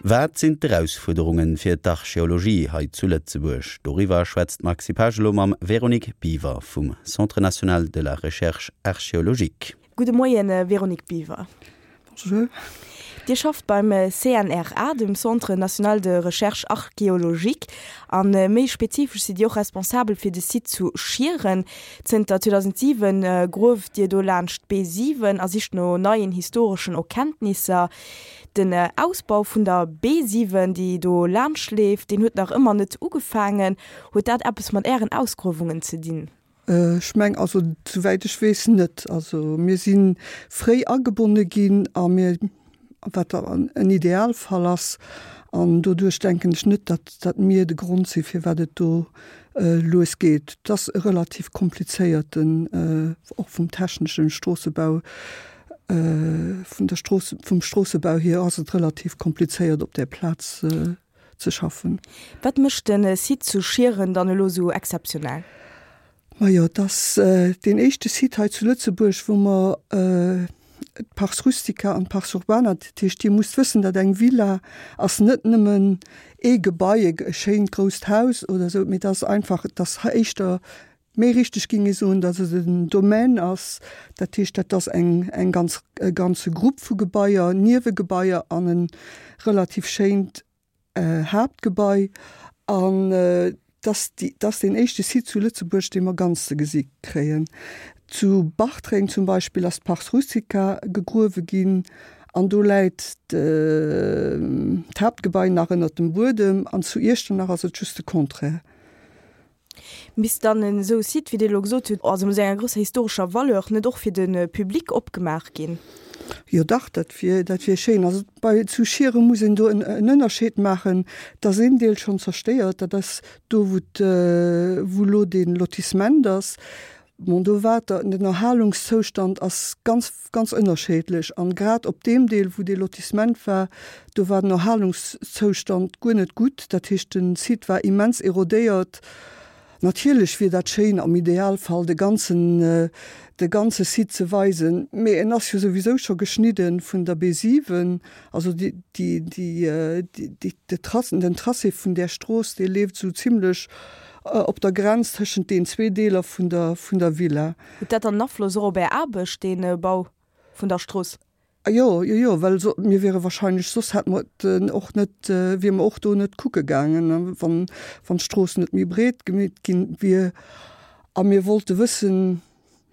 Wat sinn d'Erausfuerderunge fir d'Archeologie hei zu Lëtzebuerg? Doriwwer schwätzt d'Maxi Pesch elo mam Véronique Biver vum Centre national de la recherche archéologique. Gudde Moien, Véronique Biver. Bonjour. Dir schafft beim CNRA, dem Centre national de recherche archéologique, a méi spezifesch sidd Dir och responsabel fir de Site zu Schieren. Zënter 2007 grueft Dir do laanscht d'B7 a sicht no neien historeschen Erkenntnisser. Den Ausbau vun der B7, déi do laanscht leeft, deen huet nach ëmmer net ugefaangen. Huet dat eppes mat Ären Ausgruewungen ze dinn? Ech meng, also souwäit ech weess net. Also mir si fréi agebonne ginn a mir, wat en Idealfall ass, an doduerch denken ech net, datt datt mir de Grond si firwat et do lues geet. Et ass e relativ komplizéierten, och vum techneschen Stroossebau, Vun der Strooss, vum Stroossebau hier ass et relativ komplizéiert op där Plaz ze schaffen. Wat mécht de Site zu Schieren dann elo esou exzeptionell? Majo, et ass deen éischte Site hei zu Lëtzebuerg, wou mer d'Pars Rustica an d'Pars Urbana, dat heescht, Dir musst wëssen, datt eng Villa ass net nëmmen ee Gebai, e schéint grousst Haus oder esou, mee et ass einfach, et ass éischter Méi richteg ging ee soen, datt et en Domaine ass, dat heescht, dat ass eng eng ganz e ganze Grupp vu Gebaier, Niewegebaier an e relativ schéint Haaptgebai. An dass déi dass deen éischte Site zu Lëtzebuerg, dee mer ganz ze gesi kréien. Zu Bartreng zum Beispill ass d'Pars Rustica gegruewe ginn an do läit d'Haaptgebai nach ënnert dem Buedem an zu Iechternach ass et just de Contraire. Misst dann en esou Site, wéi Dir elo gesot hutt, also mat enger grousser historescher Valeur, net och fir de Public opgemaach ginn? Jo dach, dat wier, dat wier schéin. Also bei, zu Schieren muss een do en Ënnerscheed maachen, et ass een Deel schonn zerstéiert, dat ass do wou wou elo dee Lotissement ass. Bon, do war den Erhalungszoustand ass ganz, ganz ënnerscheedlech an grad op deem Deel wou dee Lotissement war, do war den Erhalungszoustand guer net gutt. Dat heescht den Site war immens erodéiert. Natierlech wier dat schéin am Idealfall de ganzen, de ganze Site ze weisen, mee en ass jo souwisou scho geschnidde vun der B7, also déi, déi, déi, déi, de Trace, den Tracé vun där Strooss, dee leeft esou zimlech op der Grenz tëschent den zwee Deeler vun der, vun der Villa. Huet dat dann en Afloss och op Är Aarbecht, dee Bau vun der Strooss? Jo, jo, jo, well so, mir wiere wahrscheinlech, soss hätte mer et och net, wiere mer och do net kucke gaangen, wann, wann d'Strooss net méi breet gemeet ginn wier. A mir wollte wëssen,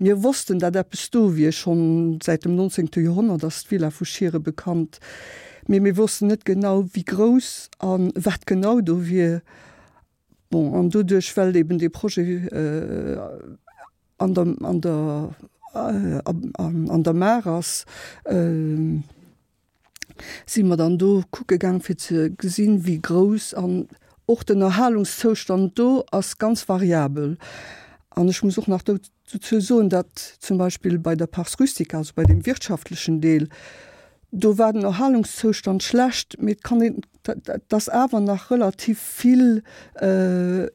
mir wossten, datt eppes do wier, schonn säit dem 19. Joerhonnert ass d'Villa vu Schiere bekannt, mee mir wossten net genau, wéi grouss a wat genau do wier. Bon, an doduerch, well eben dee Projet an der, an der, an der Maach ass, si mer dann do kucke gaang fir ze gesinn, wéi grouss an och den Erhalungszoustand do ass ganz variabel. An ech muss och nach dozou soen, datt zum Beispill bei der Pars Rustica, also bei deem wirtschaftlechen Deel, do war den Erhalungszoustand schlecht, mee et kann een, et ass awer nach relativ vill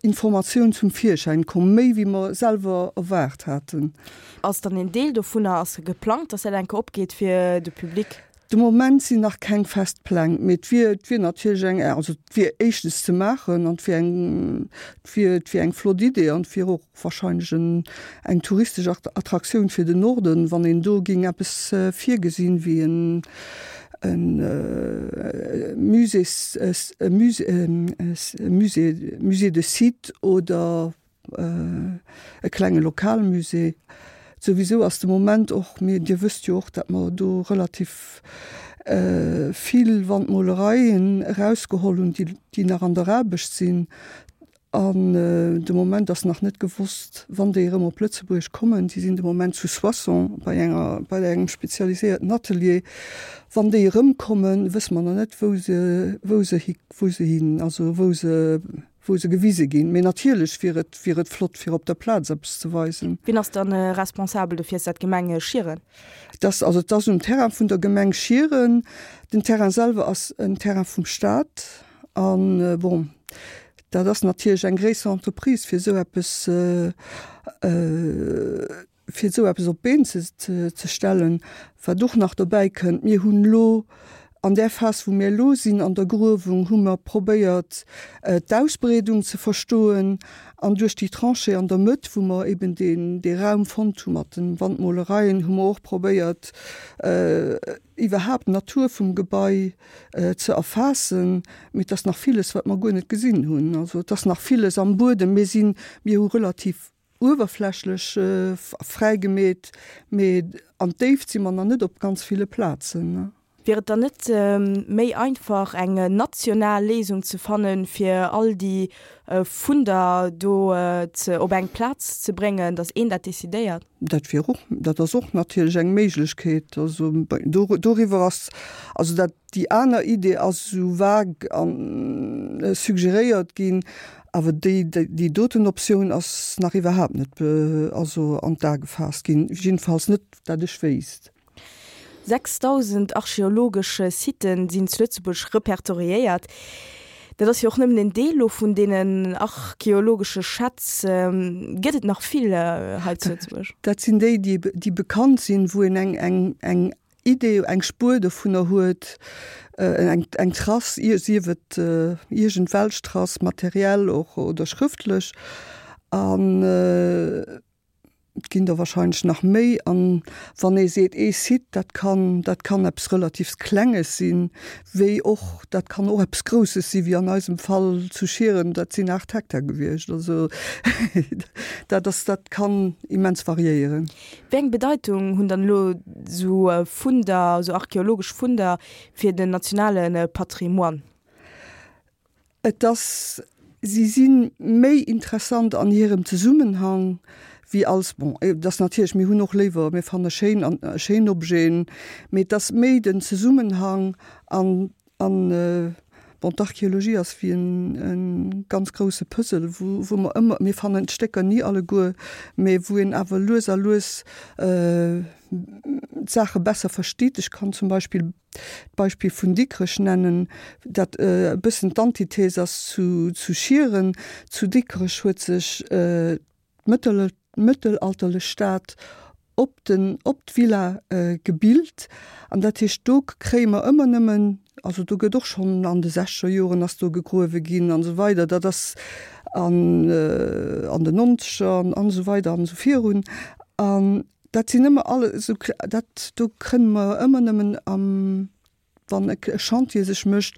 Informatioun zum Virschäin komm, méi wéi mer selwer erwaart haten. Ass dann een Deel dovunner, ass geplangt, datt dat eng Kéier opgeet fir de Public? De Moment sinn nach keng fest Pläng, mee et wier, et wier natierlech eng, also et wier éischtens ze maachen an et wier eng, et wier, et wier eng flott Idee an et wier och wahrscheinlech en, eng touristesch Attraktioun fir den Norden, wann een do géing eppes virgesinn, wéi en, en Musées, e Musée, e Musée, Musée de site oder e klenge Lokalmusée. Souwisou ass de Moment och, mir, Dir wësst jo och, datt mer do relativ vill Wandmolereien erausgeholl hunn, déi, déi nach an der Aarbecht sinn. An de Moment ass nach net gewosst, wann déi erëm op Lëtzebuerg kommen. Déi sinn de Moment zu Soissons bei enger, bei engem spezialiséierten Atelier. Wann déi erëmkommen, wësse mer nach net, wou se, wou se hi, wou se hin, also wou se, wou se gewise ginn. Mee natierlech wier et, wier et flott, fir op der Plaz eppes ze weisen. Wien ass dann responsabel dofir? Ass dat d'Gemeng Schieren? Dass, also et ass um Terrain vun der Gemeng Schieren. Den Terrain selwer ass en Terrain vum Staat. An, bon, dat ass natierlech eng gréisser Entreprise, fir esou eppes, fir esou eppes op d'Been ze stellen. Wat och nach dobäi kënnt, mir hunn elo. An där Phas, wou mir elo sinn an der Gruewung, hu mer probéiert, d'Ausbreedung ze verstoen an duerch déi Tranchée an der Mëtt, wou mer eben deen, dee Raum fonnt hu mat den Wandmolereien, hu mer och probéiert, iwwerhaapt d'Natur vum Gebai ze erfaassen. Mee et ass nach villes, wat mer guer net gesinn hunn. Also et ass nach villes am Buedem. Mir sinn, mir hu relativ uewerflächlech fräigemeet, mee an d'Déift si mer nach net op ganz ville Plazen. Wier et dann net méi einfach eng national Léisung ze fannen, fir all déi Funder do ze op eng Plaz ze bréngen, datt een dat decidéiert? Dat wier och, dat ass och natierlech eng Méiglechkeet. Also doriwwer ass, also dat, déi aner Idee ass esou vague a suggeréiert ginn, awer déi, déi doten Optioun ass nach iwwerhaapt net also an d'A gefaasst ginn, jiddefalls net dat ech wéisst. 6.000 archeologesch Siten sinn zu Lëtzebuerg repertoriéiert. Dat ass jo och nëmmen en Deel elo vun deenen archeologesche Schätz. Gëtt et nach vill hei zu Lëtzebuerg? Dat sinn déi, déi bekannt sinn, wou een eng, eng, eng Idee, eng Spuer dovunner huet, eng, eng Trace, sief et iergendwelch Trace, materiell och oder schrëftlech. An Et ginn der wahrscheinlech nach méi. An wann ee seet ee Site, dat kann, dat kann eppes relativs Klenges sinn, wéi och, dat kann och eppes Grousses sinn, wéi an eisem Fall zu Schieren, dat sinn 8 Hektar gewiescht. Also dat ass, dat kann immens variéieren. Wéi eng Bedeitung hunn dann elo esou Funder, esou archeologesch Funder fir den nationale Patrimoine? Et ass, si si méi interessant an hirem Zesummenhang wéi als, bon, et ass natierlech, mir hunn och léiwer, mir fanne schéin an schéin Objeten, mee et ass méi den Zesummenhang an an, bon, d'Archeologie ass wéi en e ganz grouse Puzzle, wou wou mer ëmmer, mir fannen d'Stécker ni alleguer, mee wou een awer lues a lues d'Saache besser versteet. Ech kann zum Beispill d'Beispill vun Dikrech nennen, dat e bëssen d'Antithese ass zu Schieren. Zu Dikrech huet sech d'mëttelalterlech Stad op den, op d'Villa gebilt. An dat heescht, do kréie mer ëmmer nëmmen, also do gëtt och schonn an de sechzeger Joren ass do gegruewe ginn an esou weider, dat ass an an den Nonzeger an esou weider an esou virun. An Dat sinn ëmmer alle esou, dat do kënne mer ëmmer nëmmen am, wann e Chantier sech mécht,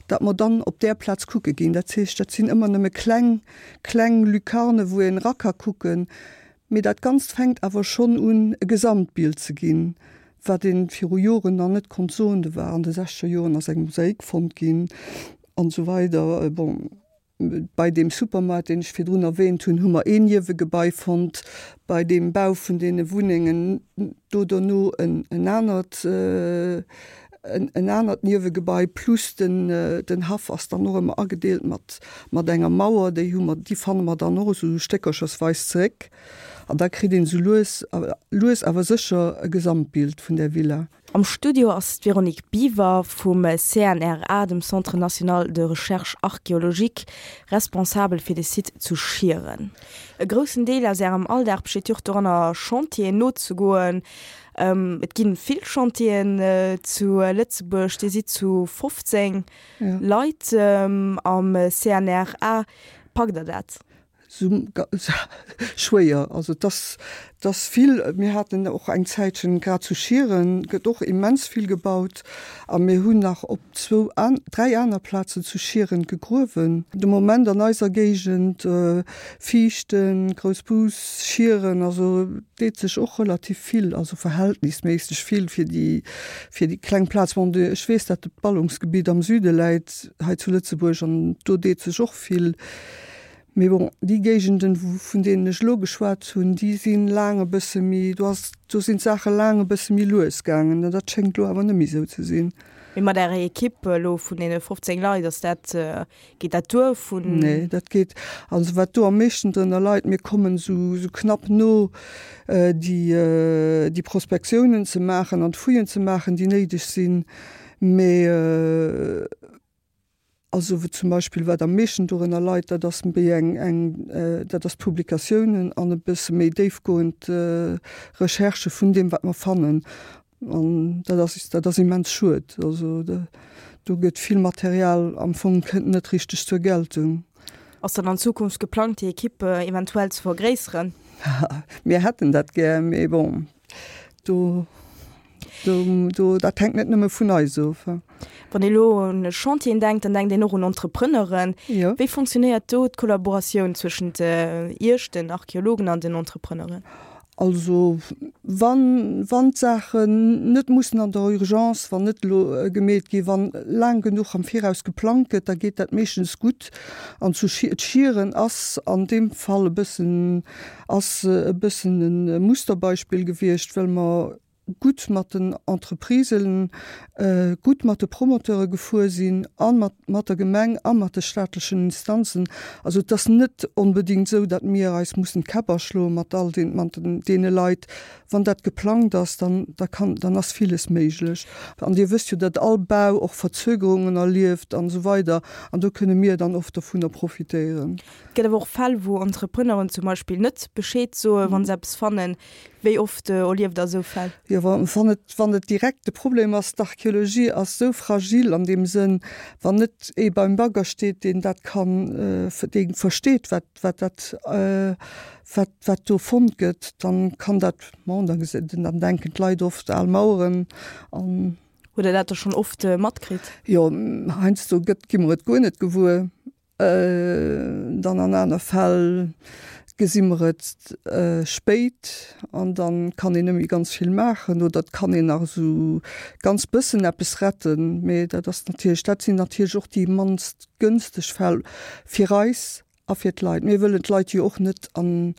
datt mer dann op där Plaz kucke ginn. Dat heescht, dat sinn ëmmer nëmme kleng, kleng Lucarne wou een era ka kucken. Mee dat Ganzt fänkt awer schonn un e Gesamtbild ze ginn, wat ee viru Joren nach net konnt soen. Do war an de sechzeger Joren ass eng Mosaik fonnt ginn an esou weider. Bon. Bei deem Supermaart, deen ech virdrun erwähnt hunn, hu mer een Niewegebai fonnt. Bei deem Bau vun deene Wunnengen do dono en anert, en anert Niewegebai. Plus den, den Haff ass dann och ëmmer agedeelt mat, mat enger Mauer. Déi hu mer, déi fanne mer dann och esou stéckerchersweis zeréck. An da kritt een esou lues, lues awer sécher e Gesamtbild vun där Villa. Am Studio ass d'Véronique Biver vum CNRA, dem Centre national de recherche archéologique, responsabel fir de Site zu Schieren. E groussen Deel aus Ärem Alldag besteet jo och doranner, Chantieren nozegoen. Et gi vill Chantieren zu Lëtzebuerg. Dir sidd zu 15 Leit am CNRA. Packt Der dat? Sou schwéier. Also et ass, et ass vill. Mir haten och eng Zäitchen, grad zu Schieren gëtt och immens vill gebaut a mir hunn nach op zwou, dräi aner Plazen zu Schieren gegruewen. De Moment an eiser Géigend, Viichten, Groussbus, Schieren, also deet sech och relativ vill, also verhältnisméisseg vill fir déi, fir déi kleng Plaz. Bon, ech weess, datt d'Ballungsgebitt am Süde läit hei zu Lëtzebuerg an do deet sech och vill. Mee bon, déi Géigenden, vun deenen ech elo geschwat hunn, déi si laang e bësse méi, do ass, do sinn d'Saache laang e bësse méi lues gaangen. An dat schéngt elo awer net méi esou ze sinn. Mee mat Ärer Ekipp elo vun deene 15 Leit, ass dat, geet dat duer vun. Nee, dat geet, also wat do am meeschten drënner leit, mir kommen esou, esou knapp no, déi, déi Prospektiounen ze maachen an d'Fouillen ze maachen, déi néideg sinn. Mee. Also zum Beispill wat am meeschten dorënner leit, dat ass méi eng, eng, dat ass d'Publikatiounen an e bësse méi déifgoend Recherchë vun deem wat mer fannen. An dat ass, dat ass immens schued. Also do gëtt vill Material am Fong kënnt net richteg zur Geltung. Ass dann an Zukunft geplangt, déi Ekipp eventuell ze vergréisseren? Mir hätten dat gär, mee bon, do, do, do, dat hänkt net nëmme vun eis of. Wann ee elo un Chantieren denkt, dann denkt een och un Entrepreneuren. Jo. Wéi funktionéiert do d'Kollaboratioun zwëschent Iech, den Archeologen an den Entrepreneuren? Also wann, wann d'Saachen net mussen an der Urgence, wann net elo gemeet ginn, wann laang genuch am Viraus geplangt gëtt, da geet dat meeschtens gutt. An zu Schieren ass an deem Fall e bëssen, ass e bëssen e Musterbeispill gewiescht, well mer gutt mat den Entreprisen, gutt mat de Promoteure gefuer sinn a mat mat der Gemeng a mat de staatlechen Instanzen. Also et ass net onbedéngt esou, datt mir eis mussen d'Käpp aschloe mat all den mat deene Leit. Wann dat geplangt ass, dann da kann dann ass villes méiglech. An Dir wësst jo, datt all Bau och Verzögerungen erlieft an esou weider an do kënne mir dann oft dovunner profitéieren. Et gëtt awer och Fäll, wou Entrepreneuren zum Beispill net Bescheed soen, wa se eppes fannen. Wéi oft erlieft Der esou Fäll? Jo, wann et, wann et direkt de Problem ass, d'Archeologie ass esou fragil an deem Sënn, wann net ee beim Bagger steet, deen dat kann, dee versteet, wat, wat dat, wat, wat do fonnt gëtt, dann kann dat, bon, da dann denken d'Leit oft al Maueren an. Hutt Der dat da schonn oft matkritt? Jo, heiansdo gëtt, gi mer et guer net gewuer. Dann an aner Fäll gesi mer et spéit an dann kann een net méi ganz vill maachen oder et kann een nach esou ganz bëssen eppes retten. Mee dat ass natierlech, dat sinn natierlech och déi mannst gënsteg Fäll fir eis a fir d'Leit. Mir wëllen d'Leit jo och net an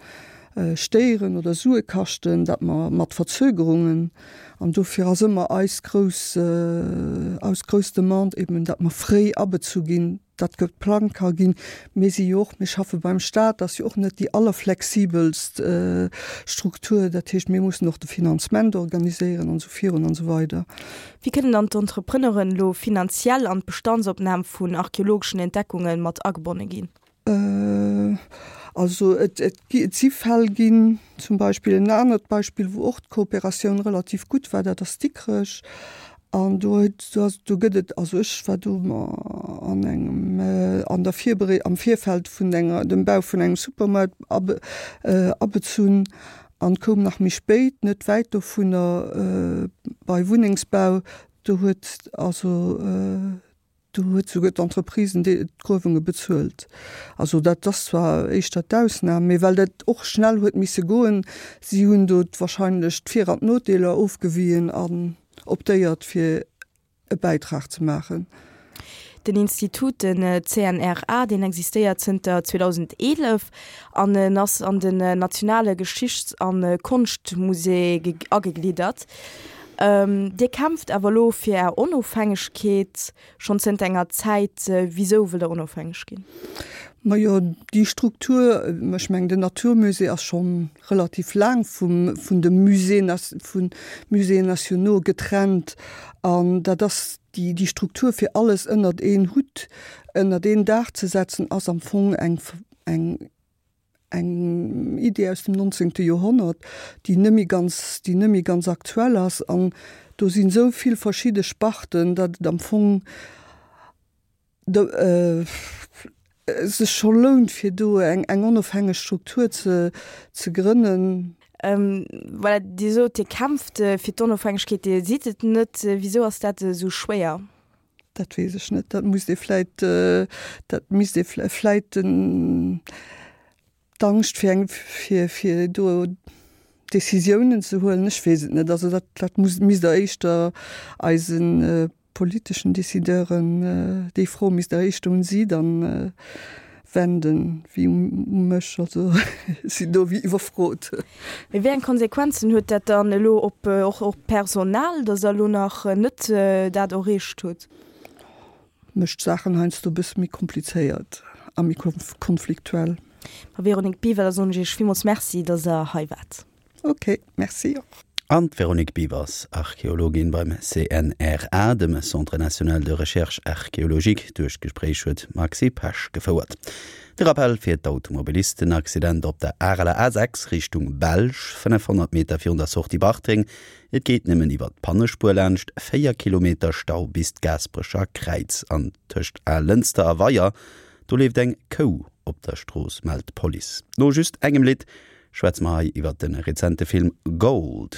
stéieren oder Sue kaschten, dat mer mat Verzögerungen an dofir ass ëmmer eis grouss, eis grouss Demande eben, dat mer fréi abezu ginn. dat geplangt ka ginn. Mir si jo och, mir schaffe beim Stat, dat ass jo och net déi allerflexibelst Struktur. Dat heescht, mir mussen och de Finanzement organiséieren an esou virun an esou weider. Wéi kënnen dann d'Entrepreneuren elo finanziell an d'Bestandsopnam vun archeologeschen Entdeckunge mat agebonne ginn? Also et si Fäll ginn, zum Beispill en anert Beispill, wou och d'Kooperatioun relativ gutt war, dat ass Dikrech. An do huet, do ass, do gëtt et, also ech war do an engem, an der Virberee, am Virfeld vun enger, dem Bau vun engem Supermaart abe, abezunn an koum nach méi spéit, net wäit dovunner, bei Wunnengsbau, do huet also, Do huet souguer d'Entreprise d'Gruewunge bezuelt. Also dat ass zwar éischter d'Ausnam, mee well dat och schnell huet misse goen, si hunn do wahrscheinlech d'Vir an d'Nodeeler ofgewien an optéiert fir e Bäitrag ze maachen. Den Institut, den CNRA, deen existéiert zënter 2011 an en ass an den nationale Geschichts a Konschtmusée agegliddert. Dir kämpft awer elo fir Är Onofhängegkeet schonn zënter enger Zäit. Wisou wëllt Der onofhängeg ginn? Majo, déi Struktur, ech mengen den Naturmusée ass scho relativ laang vum, vun de Musées, vu Musées nationaux getrennt. An dat ass déi, déi Struktur fir alles ënnert een Hutt, ënnert een Daach ze setzen, ass am Fong eng, eng eng Idee aus dem 19. Joerhonnert, déi net méi ganz, déi net méi ganz aktuell ass. An do sinn esou vill verschidde Sparten, datt et am Fong de sech scho lount, fir do eng, eng onofhängeg Struktur ze, ze grënnen. Voilà, Dir sot, Dir kämpft fir d'Onofhängegkeet, Dir sidd et net. Wisou ass dat esou schwéier? Dat weess ech net. Dat musst ee vläit, dat misst ee vläit den, d'Angscht fir eng, fir, fir do Décisiounen ze huelen, ech weess et net. Also dat, dat muss, misst Der éischter eise politeschen Décideuren, déi Fro misst Der éischter un si dann wenden wéi u mech. Also ech sinn do wéi iwwerfrot. Mee wéi eng Konsequenzen huet dat dann elo op och op d'Personal, datt Der elo nach net dat erreecht hutt? Mécht d'Saachen heiansdo e bësse méi komplizéiert a méi konfliktuell. Ma Véronique Biver, da soen ech Iech villmools Merci, datt Der hei waart. Ok, Merci och. An d'Véronique Biewers, Archeologin beim CNRA, dem Centre national de recherche archéologique. Duerch d'Gespréich huet d'Maxi Pesch gefouert. De Rappell fir d'Automobilisten, Accident op der Areler A6 Richtung Belsch, 500 Meter virun der Sortie Bartreng. Et geet nëmmen iwwer d'Pannespuer laanscht, 4 Kilometer Stau bis d'Gaasperecher Kräiz. An tëscht Alënster a Weyer, do leeft eng Kou op der Strooss, mellt d'Police. No just engem Lidd schwätze mer hei iwwer de rezente Film Gold.